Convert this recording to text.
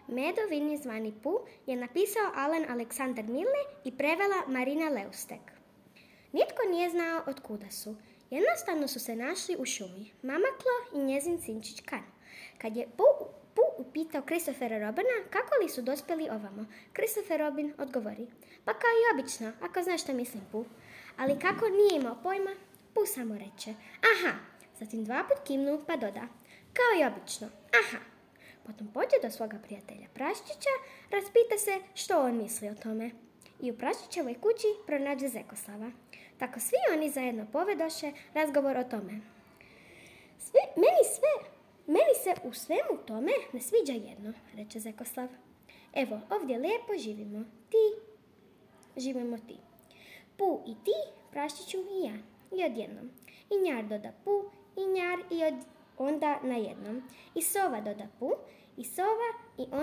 Medo Vinje zvani Pu je napisao Alen Aleksandar Milne i prevela Marina Leustek. Nitko nije znao od kuda su. Jednostavno su se našli u šumi, Mama Klo i njezin sinčić Kan. Kad je Pu upitao Christophera Robina kako li su dospjeli ovamo, Christopher Robin odgovori: pa kao i obično, ako znaš što mislim, Pu. Ali kako nije imao pojma, Pu samo reče: aha. Zatim 2 put kimnu pa doda: kao i obično, aha. Potom pođe do svoga prijatelja Praščića, raspita se što on misli o tome. I u Praščićevoj kući pronađe Zekoslava. Tako svi oni zajedno povedoše razgovor o tome. Meni se u svemu tome ne sviđa jedno, reče Zekoslav. Evo, ovdje lijepo živimo ti. Pu i ti, Praščiću i ja. I odjednom. I njar doda Pu, i njar i onda na jednom. I sova doda Pu, i sova i onda